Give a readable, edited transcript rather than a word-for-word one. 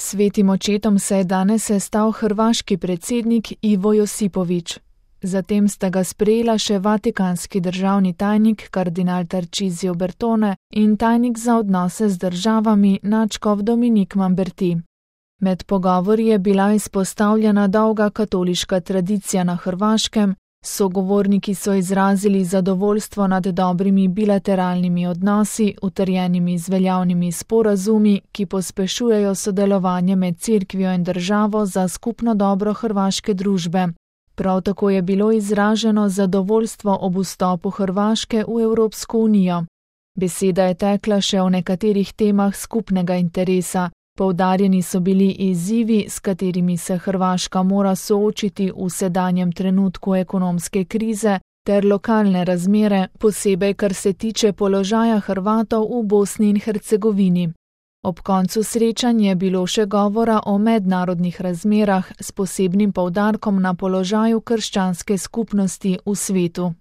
Svetim očetom se je danes sestal hrvaški predsednik Ivo Josipović. Zatem sta ga sprejela še vatikanski državni tajnik kardinal Tarcisio Bertone in tajnik za odnose z državami nadškof Dominik Mamberti. Med pogovori je bila izpostavljena dolga katoliška tradicija na Hrvaškem, sogovorniki so izrazili zadovoljstvo nad dobrimi bilateralnimi odnosi, utrjenimi z veljavnimi sporazumi, ki pospešujejo sodelovanje med cerkvijo in državo za skupno dobro hrvaške družbe. Prav tako je bilo izraženo zadovoljstvo ob vstopu Hrvaške v Evropsko unijo. Beseda je tekla še o nekaterih temah skupnega interesa. Poudarjeni so bili izzivi, s katerimi se Hrvaška mora soočiti v sedanjem trenutku ekonomske krize, ter lokalne razmere, posebej kar se tiče položaja Hrvatov v Bosni in Hercegovini. Ob koncu srečanja je bilo še govora o mednarodnih razmerah s posebnim poudarkom na položaju krščanske skupnosti v svetu.